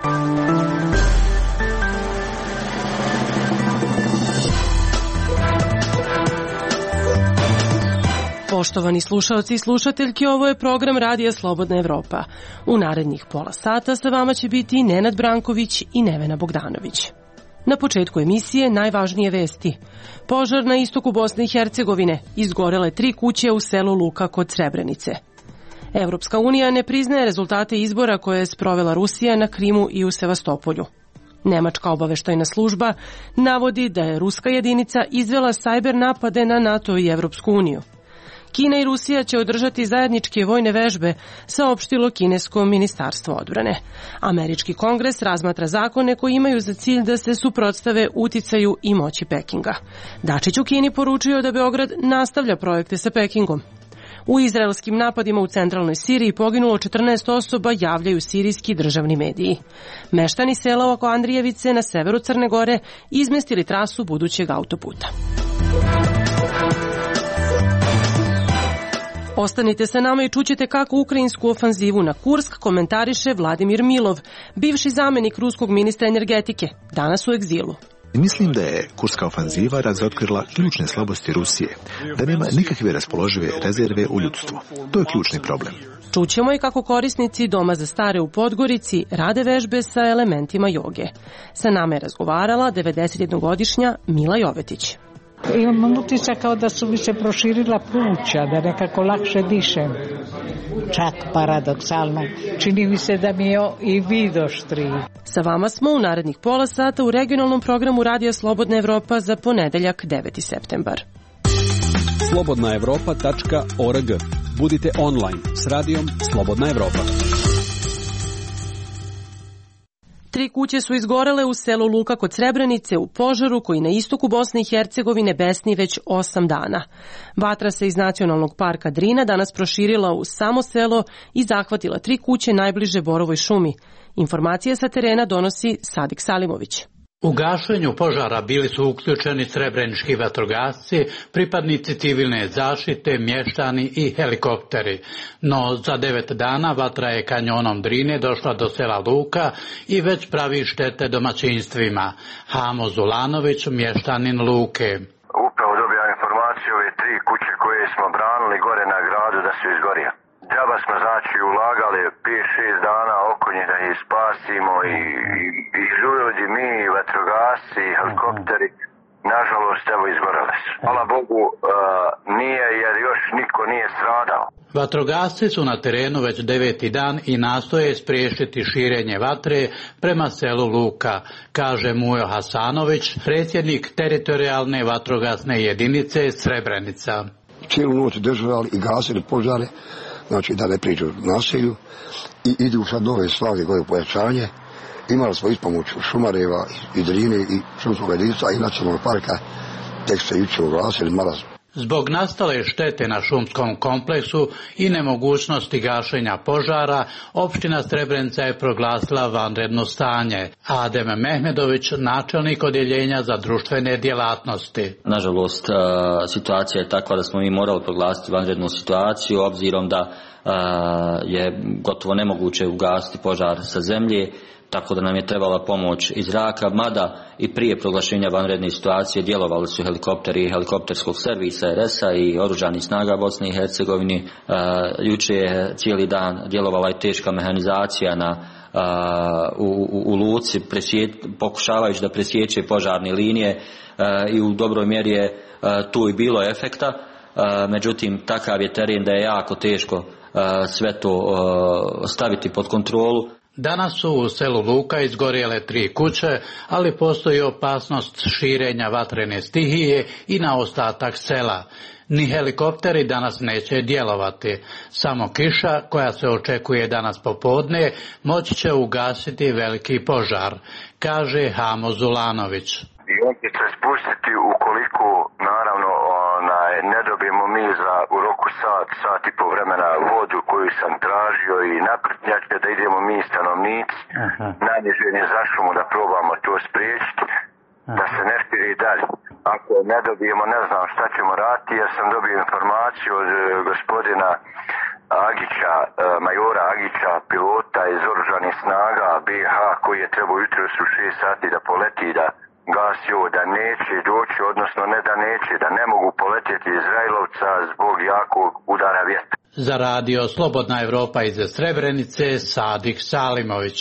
Poštovani slušaoci i slušateljke, ovo je program Radija Slobodna Evropa. U narednih pola sata sa vama će biti Nenad Branković i Nevena Bogdanović. Na početku emisije najvažnije vesti. Požar na istoku Bosne i Hercegovine, izgorele 3 kuće u selu Luka kod Srebrenice. Evropska unija ne priznaje rezultate izbora koje je sprovela Rusija na Krimu i u Sevastopolju. Nemačka obaveštajna služba navodi da je ruska jedinica izvela sajber napade na NATO i Evropsku uniju. Kina i Rusija će održati zajedničke vojne vežbe, saopštilo kinesko ministarstvo odbrane. Američki kongres razmatra zakone koji imaju za cilj da se suprotstave uticaju i moći Pekinga. Dačić u Kini poručio da Beograd nastavlja projekte sa Pekingom. U izraelskim napadima u centralnoj Siriji poginulo 14 osoba, javljaju sirijski državni mediji. Meštani sela oko Andrijevice na severu Crne Gore izmestili trasu budućeg autoputa. Ostanite sa nama i čućete kako ukrajinsku ofanzivu na Kursk komentariše Vladimir Milov, bivši zamenik ruskog ministra energetike, danas u egzilu. Mislim da je kurska ofanziva razotkrila ključne slabosti Rusije, da nema nikakve raspoložive rezerve u ljudstvu. To je ključni problem. Čućemo i kako korisnici Doma za stare u Podgorici rade vežbe sa elementima joge. Sa nama je razgovarala 91-godišnja Mila Jovetić. Imam utisak kao da su mi se proširila pluća, da nekako lakše dišem. Čak paradoksalno. Čini mi se da mi je i vid oštriji. Sa vama smo u narednih pola sata u regionalnom programu Radija Slobodna Evropa za ponedeljak 9. septembar. slobodnaevropa.org. Budite online s radijom Slobodna Evropa. 3 kuće su izgorele u selu Luka kod Srebrenice u požaru koji na istoku Bosne i Hercegovine besni već 8 dana. Vatra se iz Nacionalnog parka Drina danas proširila u samo selo i zahvatila 3 kuće najbliže Borovoj šumi. Informacije sa terena donosi Sadik Salimović. U gašenju požara bili su uključeni srebrenički vatrogasci, pripadnici civilne zaštite, mještani i helikopteri. No za 9 dana vatra je kanjonom Drine došla do sela Luka i već pravi štete domaćinstvima. Hamo Zulanović, mještanin Luke. Upravo dobijam informaciju ove 3 kuće koje smo branili gore na gradu da su izgorio. Džaba smo znači ulagali 5-6 dana oko nje da ih spasimo i ljudi, mi, vatrogasci, helikopteri, nažalost evo izgorele su. Hvala Bogu nije jer još niko nije stradao. Vatrogasci su na terenu već 9. dan i nastoje spriječiti širenje vatre prema selu Luka, kaže Mujo Hasanović, predsjednik teritorijalne vatrogasne jedinice Srebrenica. Cijelu noć držali i gasili požare, znači da ne priđu naselju i idu sad nove snage koje pojačanje. Imali smo ispomoć Šumareva i Drine i šumskog jedinica i nacionalnog parka, tek se jučer oglasili marazm. Zbog nastale štete na šumskom kompleksu i nemogućnosti gašenja požara, opština Srebrenica je proglasila vanredno stanje. Adem Mehmedović, načelnik odjeljenja za društvene djelatnosti. Nažalost, situacija je takva da smo mi morali proglasiti vanrednu situaciju, obzirom da je gotovo nemoguće ugasiti požar sa zemlje, tako da nam je trebala pomoć iz zraka, mada i prije proglašenja vanredne situacije djelovali su helikopteri helikopterskog servisa RS-a i oružanih snaga Bosne i Hercegovine. Jučer je cijeli dan djelovala i teška mehanizacija u Luci, pokušavajući da presječe požarne linije i u dobroj mjeri je tu i bilo efekta. Međutim, takav je teren da je jako teško sve to staviti pod kontrolu. Danas su u selu Luka izgorjele 3 kuće, ali postoji opasnost širenja vatrene stihije i na ostatak sela. Ni helikopteri danas neće djelovati. Samo kiša, koja se očekuje danas popodne, moći će ugasiti veliki požar, kaže Hamo Zulanović. I on će se spustiti ukoliko, naravno, ne dobijemo mi u roku sat i po vremena vodu koju sam tražio i naprtnjače da idemo mi stanovnici. Najniže je zašlo mu da probamo to spriječiti, da se ne širi dalje. Ako ne dobijemo, ne znam šta ćemo raditi, jer sam dobio informaciju od gospodina Agića, majora Agića, pilota iz oružanih snaga snaga BiH koji je trebao jutros u 6 sati da poleti da gasi ovo, da neće doći, odnosno ne da neće, da ne mogu poletjeti Izraelovca zbog jakog udara vjetra. Za radio Slobodna Evropa iz Srebrenice, Sadik Salimović.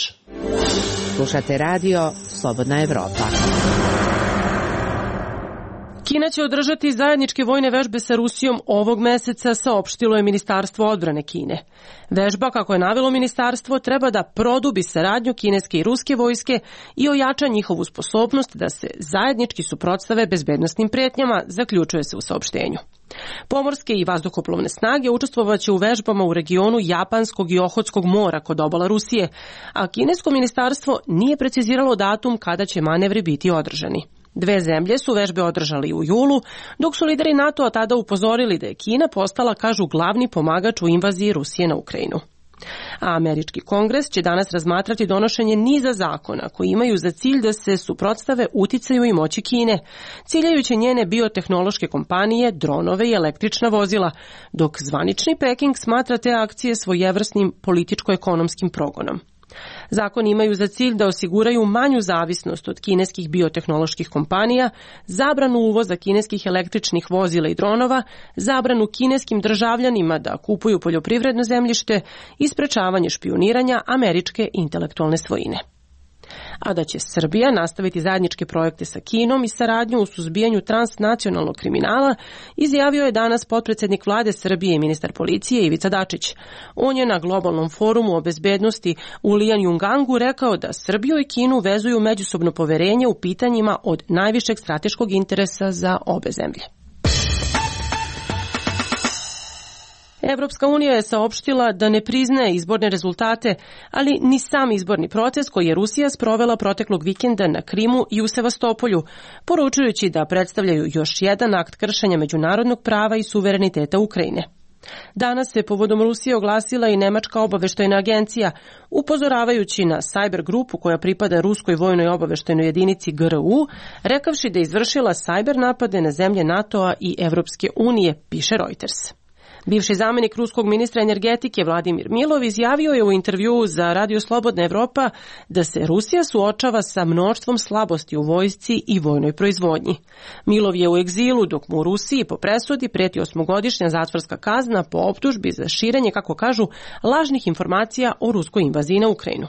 Slušate radio Slobodna Evropa. Kina će održati zajedničke vojne vežbe sa Rusijom ovog meseca, saopštilo je Ministarstvo odbrane Kine. Vežba, kako je navelo ministarstvo, treba da produbi saradnju kineske i ruske vojske i ojača njihovu sposobnost da se zajednički suprotstave bezbednosnim pretnjama, zaključuje se u saopštenju. Pomorske i vazduhoplovne snage učestvovaće u vežbama u regionu Japanskog i Ohotskog mora kod obala Rusije, a kinesko ministarstvo nije preciziralo datum kada će manevri biti održani. Dve zemlje su vežbe održali u julu, dok su lideri NATO-a tada upozorili da je Kina postala, kažu, glavni pomagač u invaziji Rusije na Ukrajinu. A američki kongres će danas razmatrati donošenje niza zakona koji imaju za cilj da se suprotstave uticaju i moći Kine, ciljajući njene biotehnološke kompanije, dronove i električna vozila, dok zvanični Peking smatra te akcije svojevrsnim političko-ekonomskim progonom. Zakoni imaju za cilj da osiguraju manju zavisnost od kineskih biotehnoloških kompanija, zabranu uvoza kineskih električnih vozila i dronova, zabranu kineskim državljanima da kupuju poljoprivredno zemljište i sprečavanje špijuniranja američke intelektualne svojine. A da će Srbija nastaviti zajedničke projekte sa Kinom i saradnju u suzbijanju transnacionalnog kriminala, izjavio je danas potpredsednik vlade Srbije i ministar policije Ivica Dačić. On je na globalnom forumu o bezbednosti u Lijanjungangu rekao da Srbiju i Kinu vezuju međusobno poverenje u pitanjima od najvišeg strateškog interesa za obe zemlje. Evropska unija je saopštila da ne priznaje izborne rezultate, ali ni sam izborni proces koji je Rusija sprovela proteklog vikenda na Krimu i u Sevastopolju, poručujući da predstavljaju još jedan akt kršenja međunarodnog prava i suvereniteta Ukrajine. Danas se povodom Rusije oglasila i Nemačka obaveštajna agencija, upozoravajući na sajber grupu koja pripada ruskoj vojnoj obaveštajnoj jedinici GRU, rekavši da je izvršila sajber napade na zemlje NATO-a i Evropske unije, piše Reuters. Bivši zamenik ruskog ministra energetike Vladimir Milov izjavio je u intervjuu za Radio Slobodna Evropa da se Rusija suočava sa mnoštvom slabosti u vojsci i vojnoj proizvodnji. Milov je u egzilu dok mu u Rusiji po presudi preti 8-godišnja zatvorska kazna po optužbi za širenje, kako kažu, lažnih informacija o ruskoj invaziji na Ukrajinu.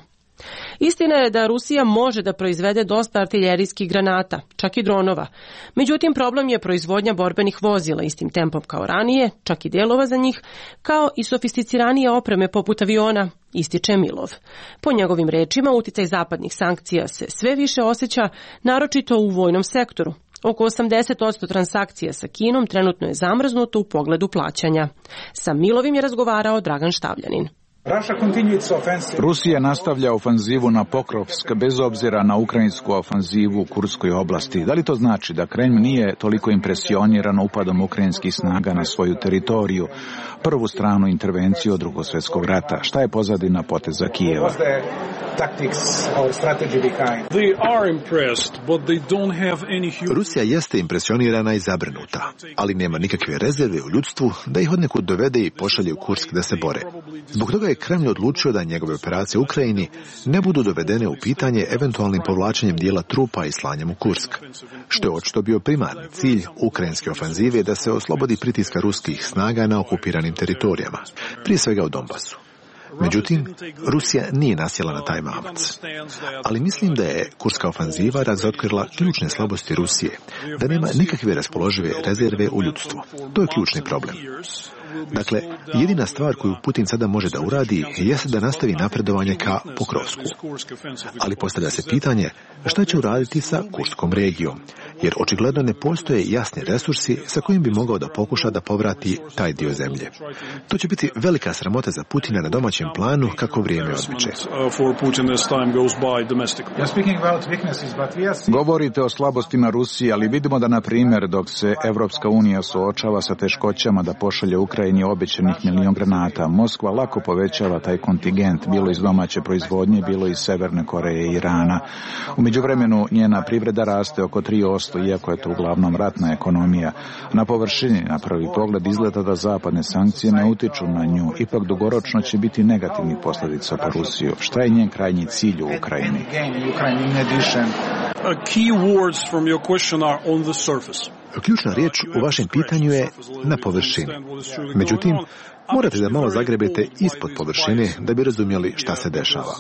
Istina je da Rusija može da proizvede dosta artiljerijskih granata, čak i dronova. Međutim, problem je proizvodnja borbenih vozila istim tempom kao ranije, čak i delova za njih, kao i sofisticiranije opreme poput aviona, ističe Milov. Po njegovim rečima, uticaj zapadnih sankcija se sve više osjeća, naročito u vojnom sektoru. Oko 80% transakcija sa Kinom trenutno je zamrznuto u pogledu plaćanja. Sa Milovim je razgovarao Dragan Štavljanin. Rusija nastavlja ofanzivu na Pokrovsk bez obzira na ukrajinsku ofanzivu u Kurskoj oblasti. Da li to znači da Kremlj nije toliko impresioniran upadom ukrajinskih snaga na svoju teritoriju, prvu stranu intervenciju od Drugog svjetskog rata? Šta je pozadina poteza Kijeva? Rusija jeste impresionirana i zabrinuta, ali nema nikakve rezerve u ljudstvu da ih odnekud dovede i pošalje u Kursk da se bore. Zbog toga je Kremlj odlučio da njegove operacije u Ukrajini ne budu dovedene u pitanje eventualnim povlačenjem dijela trupa i slanjem u Kursk, što je očito bio primarni cilj ukrajinske ofanzive da se oslobodi pritiska ruskih snaga na okupiranim teritorijama, prije svega u Donbasu. Međutim, Rusija nije nasjela na taj mamac. Ali mislim da je kurska ofanziva razotkrila ključne slabosti Rusije, da nema nikakve raspoložive rezerve u ljudstvu. To je ključni problem. Dakle, jedina stvar koju Putin sada može da uradi jeste da nastavi napredovanje ka Pokrovsku. Ali postavlja se pitanje šta će uraditi sa Kurskom regijom, jer očigledno ne postoje jasni resursi sa kojim bi mogao da pokuša da povrati taj dio zemlje. To će biti velika sramota za Putina na domaćem planu kako vrijeme odmiče. Govorite o slabostima Rusije, ali vidimo da, na primjer, dok se Evropska unija suočava sa teškoćama da pošalje Ukrajinu Ukrajini obećanih 1 milion granata. Moskva lako povećava taj kontingent, bilo iz domaće proizvodnje, bilo iz Severne Koreje i Irana. U međuvremenu njena privreda raste oko 3%, iako je to uglavnom ratna ekonomija. Na površini, na prvi pogled, izgleda da zapadne sankcije ne utiču na nju. Ipak dugoročno će biti negativnih posljedica po Rusiju. Šta je njen krajnji cilj u Ukrajini? Ključna riječ u vašem pitanju je na površini. Međutim, morate da malo zagrebete ispod površine da bi razumjeli šta se dešava.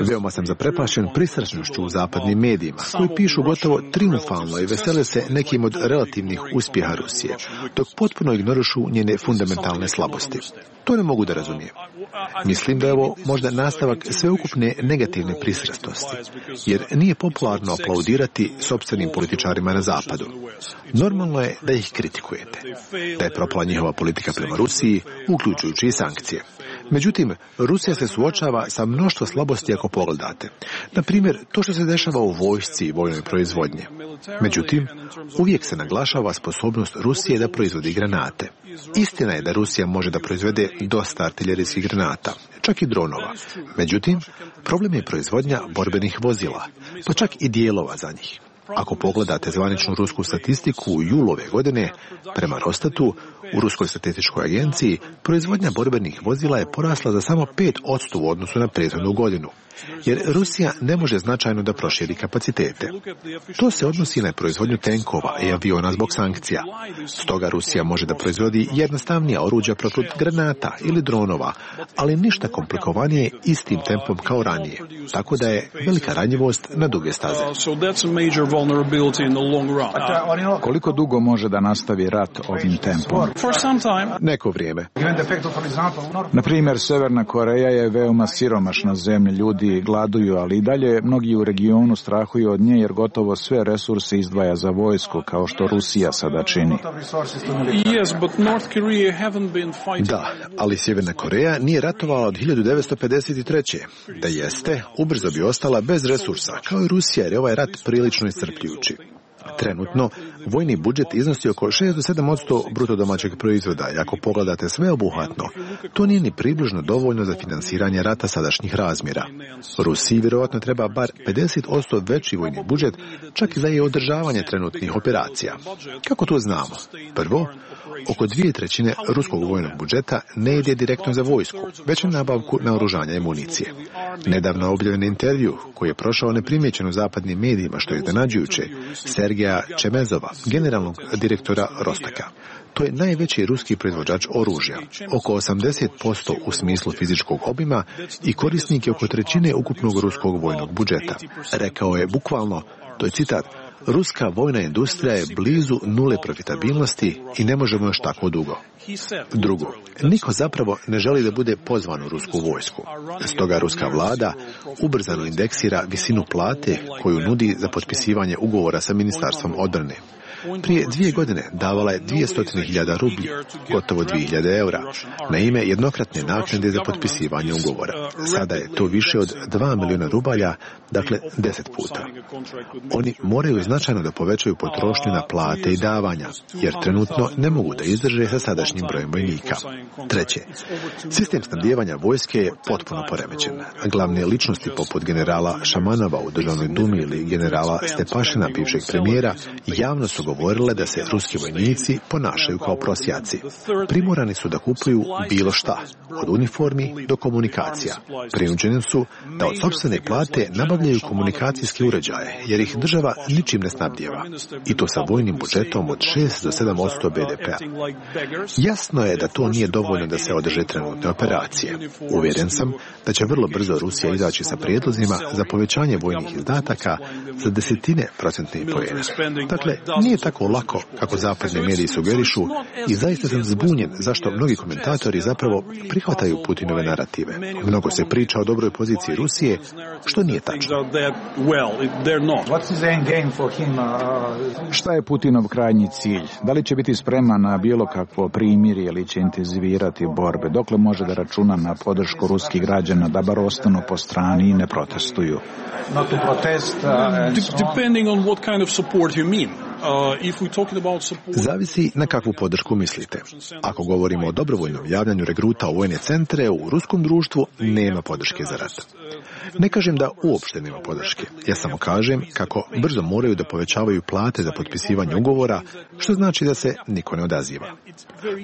Veoma sam zaprepašen pristrasnošću u zapadnim medijima, koji pišu gotovo triumfalno i vesele se nekim od relativnih uspjeha Rusije, dok potpuno ignorušu njene fundamentalne slabosti. To ne mogu da razumijem. Mislim da je ovo možda nastavak sveukupne negativne pristrasnosti, jer nije popularno aplaudirati sopstvenim političarima na zapadu. Normalno je da ih kritikujete, da je propala njihova politika prema Rusiji, uključujući i sankcije. Međutim, Rusija se suočava sa mnoštvo slabosti ako pogledate. Na primjer, to što se dešava u vojsci i vojnoj proizvodnji. Međutim, uvijek se naglašava sposobnost Rusije da proizvodi granate. Istina je da Rusija može da proizvede dosta artiljerijskih granata, čak i dronova. Međutim, problem je proizvodnja borbenih vozila, pa čak i dijelova za njih. Ako pogledate zvaničnu rusku statistiku u julu ove godine, prema Rostatu, u Ruskoj statističkoj agenciji, proizvodnja borbenih vozila je porasla za samo 5% u odnosu na prethodnu godinu, jer Rusija ne može značajno da proširi kapacitete. To se odnosi na proizvodnju tenkova i aviona zbog sankcija. Stoga Rusija može da proizvodi jednostavnija oruđa protiv granata ili dronova, ali ništa komplikovanije istim tempom kao ranije. Tako da je velika ranjivost na duge staze. Koliko dugo može da nastavi rat ovim tempom? Neko vrijeme. Na primjer, Severna Koreja je veoma siromašna zemlja, ljudi gladuju, ali i dalje mnogi u regionu strahuju od nje jer gotovo sve resurse izdvaja za vojsku, kao što Rusija sada čini. Da, ali Sjeverna Koreja nije ratovala od 1953. Da jeste, ubrzo bi ostala bez resursa, kao i Rusija, jer je ovaj rat prilično iscrpljujući. Trenutno, vojni budžet iznosi oko 6 do 7% bruto domaćeg proizvoda i ako pogledate sveobuhvatno, to nije ni približno dovoljno za finansiranje rata sadašnjih razmjera. Rusiji vjerojatno treba bar 50% veći vojni budžet, čak i za održavanje trenutnih operacija. Kako to znamo? Prvo, oko 2/3 ruskog vojnog budžeta ne ide direktno za vojsku, već na nabavku naoružanja i municije. Nedavno objavljen intervju, koji je prošao neprimjećen u zapadnim medijima, što je iznenađujuće, Sergeja Čemezova, generalnog direktora Rostaka. To je najveći ruski proizvođač oružja, oko 80% u smislu fizičkog obima i korisnik je oko 1/3 ukupnog ruskog vojnog budžeta. Rekao je bukvalno, to je citat, ruska vojna industrija je blizu nule profitabilnosti i ne možemo još tako dugo. Drugo, niko zapravo ne želi da bude pozvan u rusku vojsku. Stoga ruska vlada ubrzano indeksira visinu plate koju nudi za potpisivanje ugovora sa Ministarstvom odbrane. Prije 2 godine davala je 200.000 rublji, gotovo 2.000 eura, na ime jednokratne naknade za potpisivanje ugovora. Sada je to više od 2 milijuna rubalja, dakle 10 puta. Oni moraju značajno da povećaju potrošnju na plate i davanja, jer trenutno ne mogu da izdrže sa sadašnjim brojem vojnika. Treće, sistem snabdijevanja vojske je potpuno poremećen. Glavne ličnosti poput generala Šamanova u Državnoj dumi ili generala Stepašina, bivšeg premijera, javno su govorile da se ruski vojnici ponašaju kao prosjaci. Primorani su da kupuju bilo šta, od uniformi do komunikacija. Prinuđeni su da od sopstvene plate nabavljaju komunikacijske uređaje, jer ih država ničim ne snabdijeva. I to sa vojnim budžetom od 6 do 7% BDP-a. Jasno je da to nije dovoljno da se održe trenutne operacije. Uvjeren sam da će vrlo brzo Rusija izaći sa prijedlozima za povećanje vojnih izdataka za 10% poena. Dakle, nije tako lako kako zapadni mediji sugerišu i zaista sam zbunjen zašto mnogi komentatori zapravo prihvataju Putinove narative. Mnogo se priča o dobroj poziciji Rusije, što nije tačno. Šta je Putinov krajnji cilj? Da li će biti spreman na bilo kakvo primirje ili će intenzivirati borbe? Dokle može da računa na podršku ruskih građana da bar ostanu po strani i ne protestuju? Depending on what kind of support you mean. Zavisi na kakvu podršku mislite. Ako govorimo o dobrovoljnom javljanju regruta u vojne centre, u ruskom društvu nema podrške za rat. Ne kažem da uopšte nema podrške. Ja samo kažem kako brzo moraju da povećavaju plate za potpisivanje ugovora, što znači da se niko ne odaziva.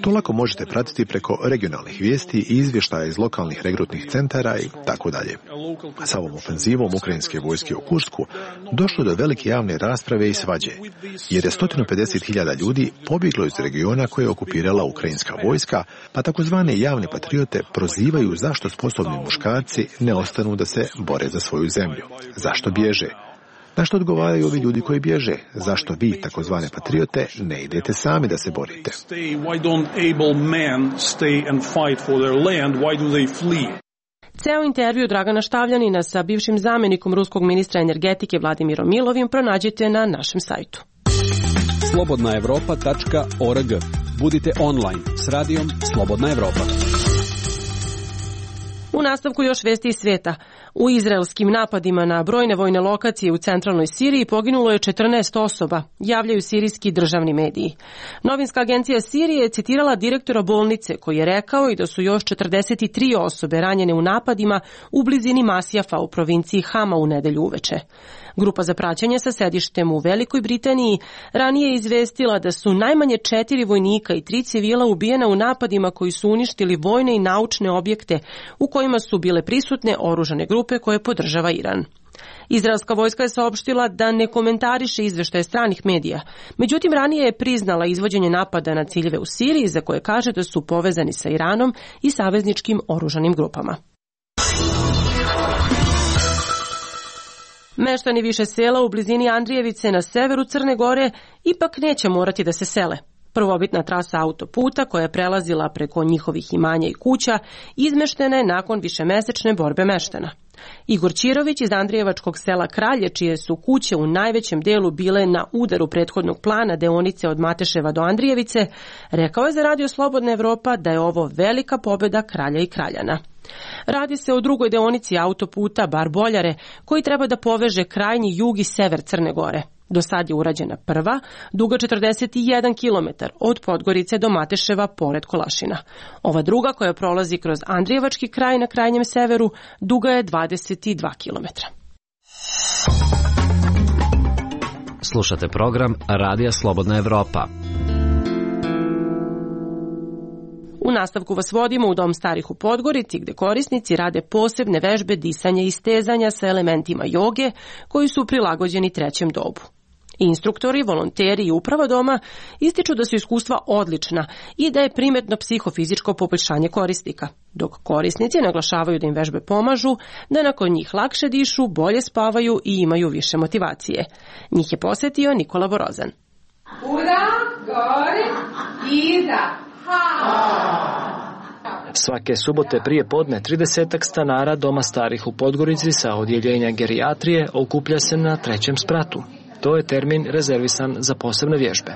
To lako možete pratiti preko regionalnih vijesti i izvještaja iz lokalnih regrutnih centara i tako dalje. Sa ovom ofenzivom ukrajinske vojske u Kursku došlo do velike javne rasprave i svađe, jer je 150.000 ljudi pobjeglo iz regiona koje je okupirala ukrajinska vojska, pa takozvane javne patriote prozivaju zašto sposobni muškarci ne ostanu da se bore za svoju zemlju. Zašto bježe? Na što odgovaraju ovi ljudi koji bježe? Zašto vi, takozvane patriote, ne idete sami da se borite? Ceo intervju Dragana Štavljanina sa bivšim zamjenikom ruskog ministra energetike Vladimirom Milovim pronađite na našem sajtu. slobodnaevropa.org. Budite online s radijom Slobodna Evropa. U nastavku još vesti iz svijeta. U izraelskim napadima na brojne vojne lokacije u centralnoj Siriji poginulo je 14 osoba, javljaju sirijski državni mediji. Novinska agencija Sirije je citirala direktora bolnice koji je rekao i da su još 43 osobe ranjene u napadima u blizini Masjafa u provinciji Hama u nedelju uveče. Grupa za praćenje sa sedištem u Velikoj Britaniji ranije je izvestila da su najmanje 4 vojnika i 3 civila ubijena u napadima koji su uništili vojne i naučne objekte u kojima su bile prisutne oružane grupe koje podržava Iran. Izraelska vojska je saopštila da ne komentariše izveštaje stranih medija, međutim ranije je priznala izvođenje napada na ciljeve u Siriji za koje kaže da su povezani sa Iranom i savezničkim oružanim grupama. Meštani više sela u blizini Andrijevice na severu Crne Gore ipak neće morati da se sele. Prvobitna trasa autoputa koja je prelazila preko njihovih imanja i kuća izmeštena je nakon višemesečne borbe meštana. Igor Čirović iz Andrijevačkog sela Kralje, čije su kuće u najvećem delu bile na udaru prethodnog plana deonice od Mateševa do Andrijevice, rekao je za Radio Slobodna Evropa da je ovo velika pobjeda Kralja i Kraljana. Radi se o drugoj deonici autoputa Bar-Boljare, koji treba da poveže krajnji jug i sever Crne Gore. Do sad je urađena prva, duga 41 km od Podgorice do Mateševa pored Kolašina. Ova druga, koja prolazi kroz Andrijevački kraj na krajnjem severu, duga je 22 km. Slušate program Radija Slobodna Evropa. U nastavku vas vodimo u Dom starih u Podgorici, gde korisnici rade posebne vežbe disanja i stezanja sa elementima joge koji su prilagođeni trećem dobu. Instruktori, volonteri i uprava doma ističu da su iskustva odlična i da je primetno psihofizičko poboljšanje korisnika, dok korisnici naglašavaju da im vežbe pomažu, da nakon njih lakše dišu, bolje spavaju i imaju više motivacije. Njih je posjetio Nikola Borozan. Uda, gore, iza. Svake subote prije podne 30 stanara Doma starih u Podgorici sa odjeljenja gerijatrije okuplja se na trećem spratu. To je termin rezervisan za posebne vježbe.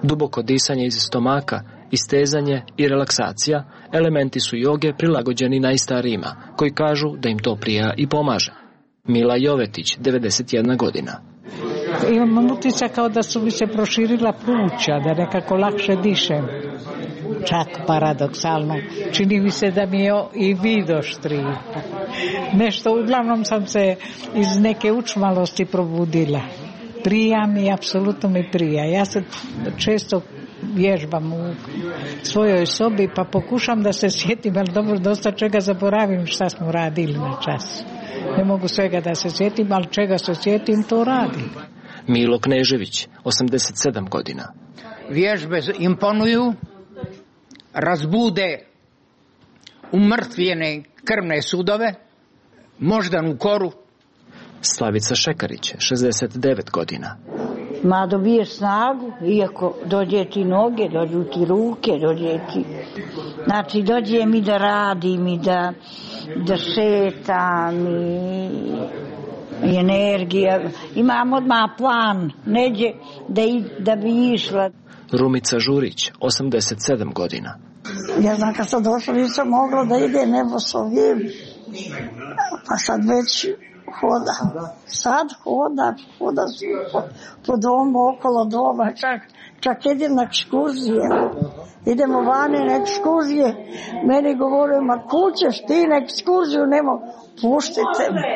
Duboko disanje iz stomaka, istezanje i relaksacija elementi su joge prilagođeni najstarijima, koji kažu da im to prija i pomaže. Mila Jovetić, 91 godina. Imam utisak kao da su mi se proširila pluća, da nekako lakše dišem. Čak paradoksalno. Čini mi se da mi je i vid oštriji. Nešto, uglavnom sam se iz neke učmalosti probudila. Prija mi, apsolutno mi prija. Ja se često vježbam u svojoj sobi pa pokušam da se sjetim, ali dobro, dosta čega zaboravim šta smo radili na čas. Ne mogu svega da se sjetim, ali čega se sjetim, to radim. Milo Knežević, 87 godina. Vježbe imponuju, razbude umrtvljene krvne sudove, moždanu koru. Slavica Šekarić, 69 godina. Ma dobiješ snagu, iako dođe ti noge, dođu ti ruke, dođe ti... Znači, dođe mi da radim i da šetam i energija. Imam odmah plan, neđe da bi išla. Rumica Žurić, 87 godina. Ja znam kad sam došla nisam mogla da ide nebo s ovim, pa sad već Sad hoda po domu, okolo doma, čak idem na ekskurzije. Idemo vani na ekskurzije. Meni govore, ma kućeš ti na ekskurziju, nemo, puštite me.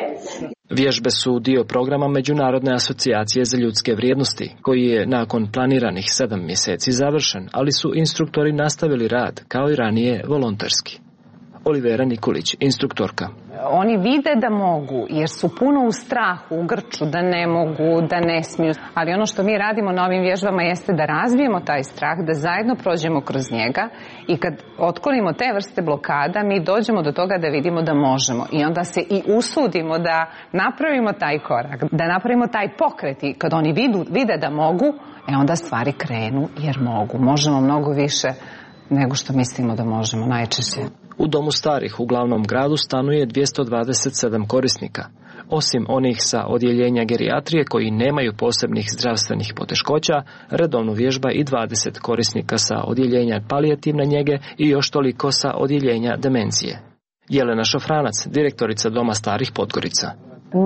Vježbe su dio programa Međunarodne asocijacije za ljudske vrijednosti, koji je nakon planiranih 7 mjeseci završen, ali su instruktori nastavili rad, kao i ranije, volonterski. Olivera Nikolić, instruktorka. Oni vide da mogu, jer su puno u strahu, u grču, da ne mogu, da ne smiju. Ali ono što mi radimo na ovim vježbama jeste da razvijemo taj strah, da zajedno prođemo kroz njega i kad otklonimo te vrste blokada, mi dođemo do toga da vidimo da možemo. I onda se i usudimo da napravimo taj korak, da napravimo taj pokret. I kad oni vide da mogu, onda stvari krenu jer mogu. Možemo mnogo više nego što mislimo da možemo najčešće. U domu starih u glavnom gradu stanuje 227 korisnika. Osim onih sa odjeljenja gerijatrije koji nemaju posebnih zdravstvenih poteškoća, redovno vježba i 20 korisnika sa odjeljenja palijativne njege i još toliko sa odjeljenja demencije. Jelena Šafranac, direktorica Doma starih Podgorica.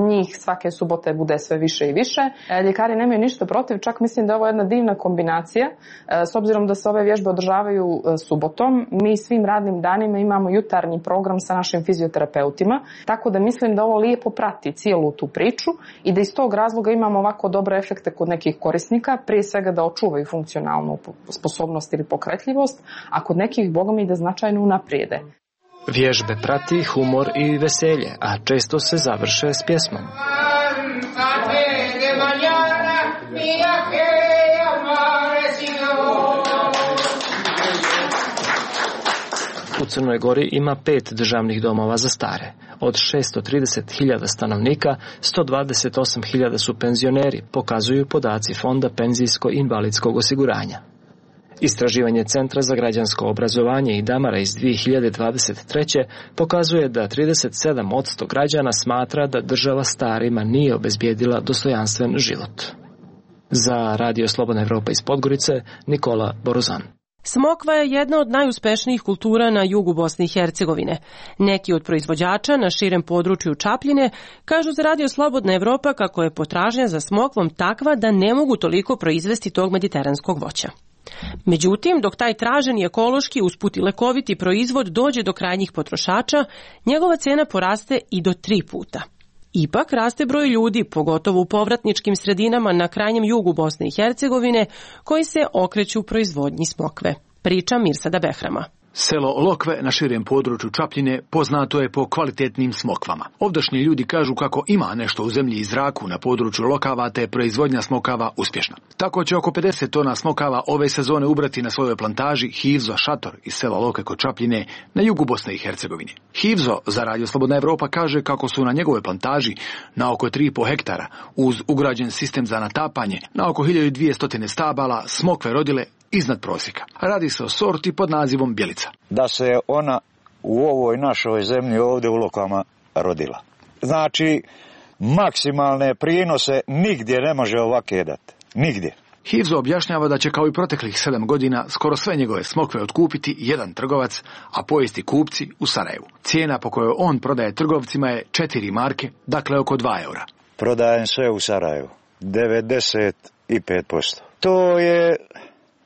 Njih svake subote bude sve više i više. Ljekari nemaju ništa protiv, čak mislim da je ovo jedna divna kombinacija. S obzirom da se ove vježbe održavaju subotom, mi svim radnim danima imamo jutarnji program sa našim fizioterapeutima, tako da mislim da ovo lijepo prati cijelu tu priču i da iz tog razloga imamo ovako dobre efekte kod nekih korisnika, prije svega da očuvaju funkcionalnu sposobnost ili pokretljivost, a kod nekih, boga mi, da značajno unaprijede. Vježbe prati humor i veselje, a često se završe s pjesmom. U Crnoj Gori ima 5 državnih domova za stare. Od 630.000 stanovnika, 128.000 su penzioneri, pokazuju podaci Fonda penzijsko-invalidskog osiguranja. Istraživanje Centra za građansko obrazovanje i Damara iz 2023. pokazuje da 37% građana smatra da država starima nije obezbijedila dostojanstven život. Za Radio Slobodna Evropa iz Podgorice, Nikola Borozan. Smokva je jedna od najuspešnijih kultura na jugu Bosne i Hercegovine. Neki od proizvođača na širem području Čapljine kažu za Radio Slobodna Evropa kako je potražnja za smokvom takva da ne mogu toliko proizvesti tog mediteranskog voća. Međutim, dok taj traženi ekološki usput i lekoviti proizvod dođe do krajnjih potrošača, njegova cena poraste i do 3 puta. Ipak raste broj ljudi, pogotovo u povratničkim sredinama na krajnjem jugu Bosne i Hercegovine, koji se okreću proizvodnji smokve. Priča Mirsada Behrama. Selo Lokve na širem području Čapljine poznato je po kvalitetnim smokvama. Ovdašnji ljudi kažu kako ima nešto u zemlji i zraku na području Lokava, te je proizvodnja smokava uspješna. Tako će oko 50 tona smokava ove sezone ubrati na svojoj plantaži Hivzo Šator iz sela Lokve kod Čapljine na jugu Bosne i Hercegovine. Hivzo za Radio Slobodna Evropa kaže kako su na njegove plantaži na oko 3,5 hektara uz ugrađen sistem za natapanje na oko 1200 stabala smokve rodile iznad prosjeka. Radi se o sorti pod nazivom Bjelica. Da se ona u ovoj našoj zemlji ovdje u Lokvama rodila. Znači, maksimalne prinose nigdje ne može ovake dati. Nigdje. Hivzo objašnjava da će kao i proteklih 7 godina skoro sve njegove smokve otkupiti jedan trgovac, a pojesti kupci u Sarajevu. Cijena po kojoj on prodaje trgovcima je 4 marke, dakle oko 2 eura. Prodajem sve u Sarajevu. 95%. To je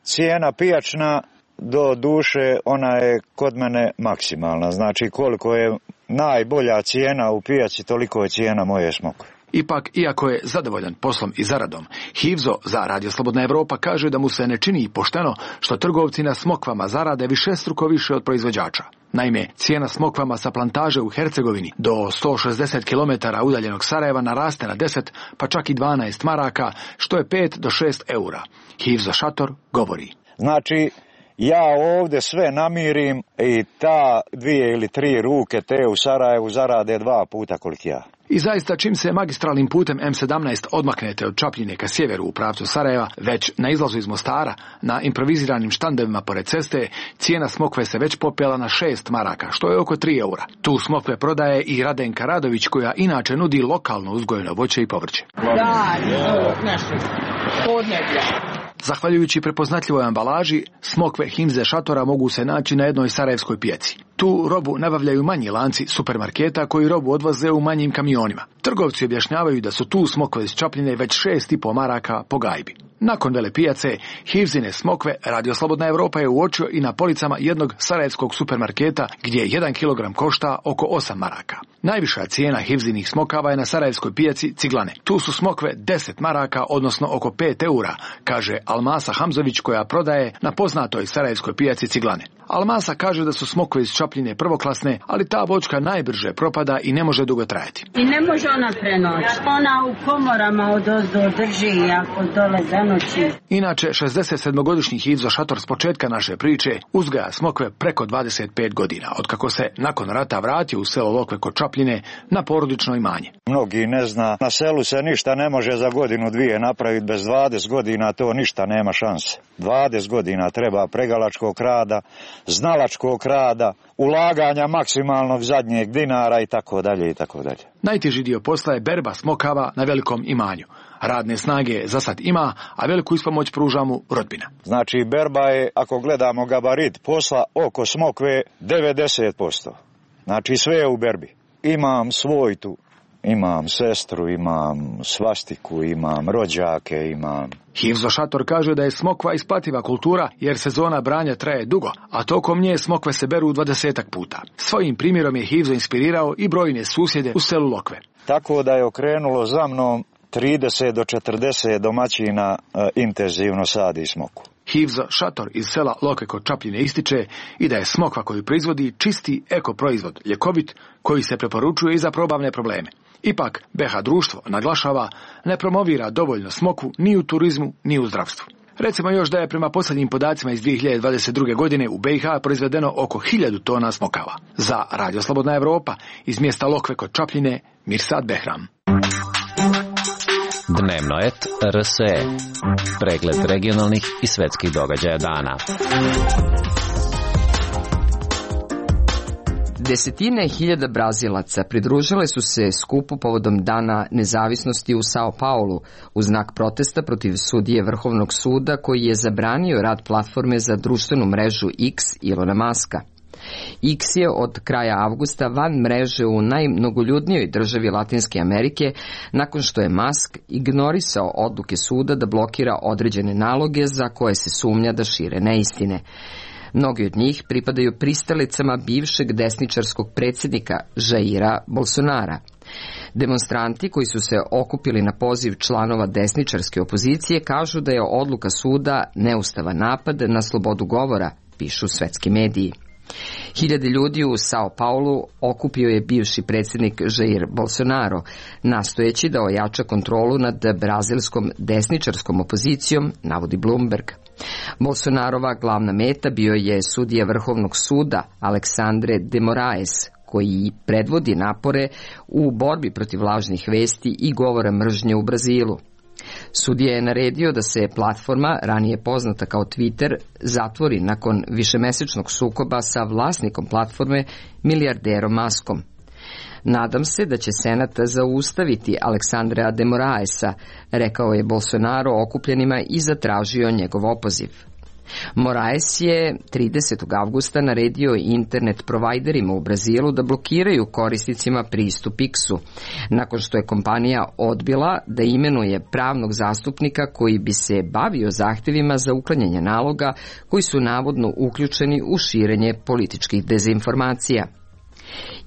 cijena pijačna, do duše ona je kod mene maksimalna. Znači koliko je najbolja cijena u pijaci, toliko je cijena moje smokve. Ipak, iako je zadovoljan poslom i zaradom, Hivzo za Radio Slobodna Evropa kaže da mu se ne čini pošteno što trgovci na smokvama zarade višestruko više od proizvođača. Naime, cijena smokvama sa plantaže u Hercegovini do 160 km udaljenog Sarajeva naraste na 10, pa čak i 12 maraka, što je 5 do 6 eura. Hivzo Šator govori. Znači, ja ovdje sve namirim i ta 2 ili 3 ruke te u Sarajevu zarade 2 puta koliko ja. I zaista, čim se magistralnim putem M17 odmaknete od Čapljine ka sjeveru u pravcu Sarajeva, već na izlazu iz Mostara, na improviziranim štandevima pored ceste, cijena smokve se već popela na 6 maraka, što je oko 3 eura. Tu smokve prodaje i Radenka Radović, koja inače nudi lokalno uzgojeno voće i povrće. Da, nešto podneblja. Zahvaljujući prepoznatljivoj ambalaži, smokve Himze šatora mogu se naći na jednoj sarajevskoj pijaci. Tu robu nabavljaju manji lanci supermarketa koji robu odvoze u manjim kamionima. Trgovci objašnjavaju da su tu smokve iz Čapljine već 6,5 maraka po gajbi. Nakon vele pijace, Hivzine smokve Radio Slobodna Evropa je uočio i na policama jednog sarajevskog supermarketa gdje 1 kilogram košta oko 8 maraka. Najviša cijena Hivzinih smokava je na sarajevskoj pijaci Ciglane. Tu su smokve 10 maraka, odnosno oko 5 eura, kaže Almasa Hamzović koja prodaje na poznatoj sarajevskoj pijaci Ciglane. Almasa kaže da su smokve iz Čapljine prvoklasne, ali ta voćka najbrže propada i ne može dugo trajati. I ne može ona prenoći. Ona u komorama odozdo drži ako dole zanoći. Inače, 67-godišnji Hivzo Šator s početka naše priče uzgaja smokve preko 25 godina, otkako se nakon rata vratio u selo Lokve kod Čapljine na porodično imanje. Mnogi ne zna, na selu se ništa ne može za godinu dvije napraviti, bez 20 godina to ništa nema šanse. 20 godina treba pregalačkog rada, znalačkog rada, ulaganja maksimalnog zadnjeg dinara i tako dalje i tako dalje. Najteži dio posla je berba smokava na velikom imanju. Radne snage za sad ima, a veliku ispomoć pruža mu rodbina. Znači berba je, ako gledamo gabarit posla, oko smokve 90%. Znači sve je u berbi. Imam svojtu, imam sestru, imam svastiku, imam rođake, imam... Hivzo Šator kaže da je smokva isplativa kultura jer sezona branja traje dugo, a tokom nje smokve se beru 20 puta. Svojim primjerom je Hivzo inspirirao i brojne susjede u selu Lokve. Tako da je okrenulo za mnom 30 do 40 domaćina intenzivno sadi smokvu. Hivzo Šator iz sela Lokve kod Čapljine ističe i da je smokva koju proizvodi čisti eko proizvod, ljekovit, koji se preporučuje i za probavne probleme. Ipak, BH društvo, naglašava, ne promovira dovoljno smokvu ni u turizmu, ni u zdravstvu. Recimo još da je prema posljednjim podacima iz 2022. godine u BiH proizvedeno oko 1000 tona smokava. Za Radio Slobodna Evropa, iz mjesta Lokve kod Čapljine, Mirsad Behram. Dnevnoet RSE. Pregled regionalnih i svetskih događaja dana. Desetine hiljada Brazilaca pridružile su se skupu povodom Dana nezavisnosti u Sao Paulu u znak protesta protiv sudije Vrhovnog suda koji je zabranio rad platforme za društvenu mrežu X Ilona Maska. X je od kraja avgusta van mreže u najmnogoljudnijoj državi Latinske Amerike nakon što je Musk ignorisao odluke suda da blokira određene naloge za koje se sumnja da šire neistine. Mnogi od njih pripadaju pristalicama bivšeg desničarskog predsjednika Jaira Bolsonara. Demonstranti koji su se okupili na poziv članova desničarske opozicije kažu da je odluka suda neustavan napad na slobodu govora, pišu svetski mediji. Hiljade ljudi u Sao Paulu okupio je bivši predsjednik Jair Bolsonaro, nastojeći da ojača kontrolu nad brazilskom desničarskom opozicijom, navodi Bloomberg. Bolsonarova glavna meta bio je sudija Vrhovnog suda Alexandre de Moraes, koji predvodi napore u borbi protiv lažnih vesti i govora mržnje u Brazilu. Sudija je naredio da se platforma, ranije poznata kao Twitter, zatvori nakon višemesečnog sukoba sa vlasnikom platforme, milijarderom Muskom. Nadam se da će Senat zaustaviti Aleksandra de Moraesa, rekao je Bolsonaro okupljenima i zatražio njegov opoziv. Moraes je 30. avgusta naredio internet provajderima u Brazilu da blokiraju korisnicima pristup X-u, nakon što je kompanija odbila da imenuje pravnog zastupnika koji bi se bavio zahtjevima za uklanjanje naloga koji su navodno uključeni u širenje političkih dezinformacija.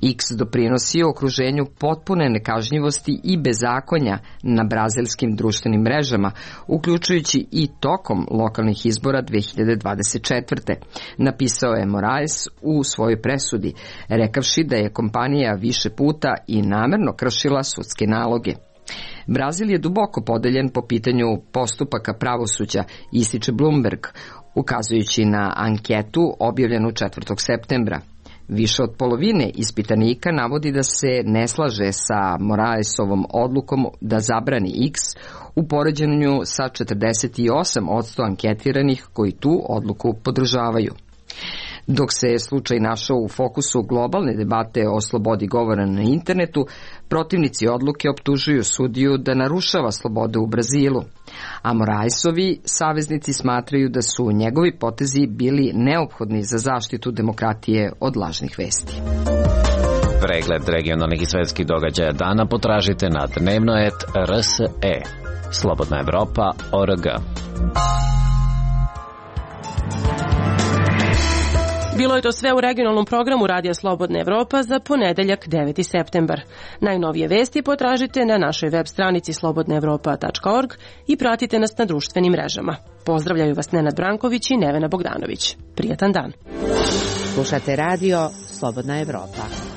X doprinosi okruženju potpune nekažnjivosti i bezakonja na brazilskim društvenim mrežama, uključujući i tokom lokalnih izbora 2024. Napisao je Moraes u svojoj presudi, rekavši da je kompanija više puta i namerno kršila sudske naloge. Brazil je duboko podeljen po pitanju postupaka pravosuđa, ističe Bloomberg, ukazujući na anketu objavljenu 4. septembra. Više od polovine ispitanika navodi da se ne slaže sa Moraesovom odlukom da zabrani X u poređenju sa 48% anketiranih koji tu odluku podržavaju. Dok se slučaj našao u fokusu globalne debate o slobodi govora na internetu, protivnici odluke optužuju sudiju da narušava slobodu u Brazilu. A Moraisovi saveznici smatraju da su njegovi potezi bili neophodni za zaštitu demokratije od lažnih vesti. Pregled regionalnih i svetskih događaja dana potražite na dnevno.rse. Slobodna Evropa.org. Bilo je to sve u regionalnom programu Radija Slobodna Evropa za ponedeljak 9. septembar. Najnovije vesti potražite na našoj web stranici slobodnaevropa.org i pratite nas na društvenim mrežama. Pozdravljaju vas Nenad Branković i Nevena Bogdanović. Prijatan dan. Slušate radio Slobodna Evropa.